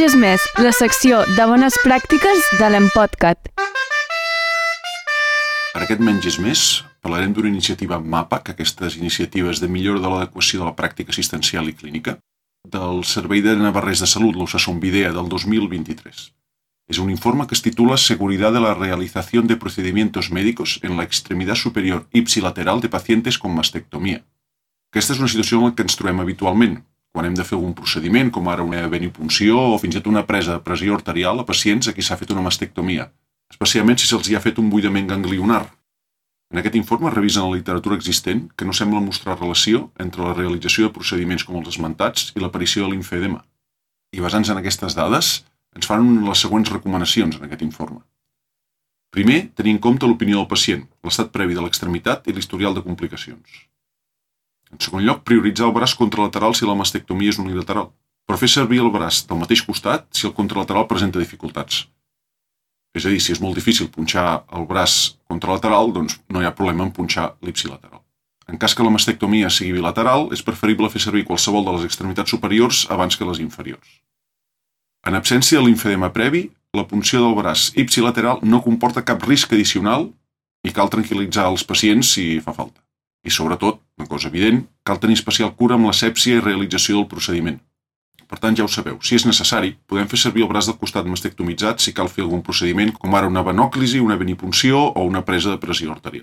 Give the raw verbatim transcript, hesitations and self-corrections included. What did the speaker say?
menges més, la secció de bones pràctiques de l'Empodcat. En aquest Menges Més parlarem d'una iniciativa MAPAC, aquestes iniciatives de millora de l'adequació de la pràctica assistencial i clínica, del Servei de Navarrès de Salut, l'Osasunvidea, del dos mil vint-i-tres. Es un informe que es titula Seguridad de la realización de procedimientos médicos en la extremidad superior ipsilateral de pacientes con mastectomía. Aquesta és una situació en la que ens trobem habitualment, quan hem de fer algun procediment, com ara una venipunció o fins i tot una presa de pressió arterial a pacients a qui s'ha fet una mastectomia, especialment si se'ls hi ha fet un buidament ganglionar. En aquest informe revisen la literatura existent que no sembla mostrar relació entre la realització de procediments com els esmentats i l'aparició de limfedema. I basant-se en aquestes dades, ens fan les següents recomanacions en aquest informe. Primer, tenir en compte l'opinió del pacient, l'estat previ de l'extremitat i l'historial de complicacions. En segon lloc, prioritzar el braç contralateral si la mastectomia és unilateral, però fer servir el braç del mateix costat si el contralateral presenta dificultats. És a dir, si és molt difícil punxar el braç contralateral, doncs no hi ha problema en punxar l'ipsilateral. En cas que la mastectomia sigui bilateral, és preferible fer servir qualsevol de les extremitats superiors abans que les inferiors. En absència de limfedema previ, la punció del braç ipsilateral no comporta cap risc addicional i cal tranquil·litzar els pacients si fa falta. I sobretot, una cosa evident, cal tenir especial cura amb l'asèpsia i realització del procediment. Per tant, ja ho sabeu, si és necessari, podem fer servir el braç del costat mastectomitzat si cal fer algun procediment com ara una venòclisi, una venipunció o una presa de pressió arterial.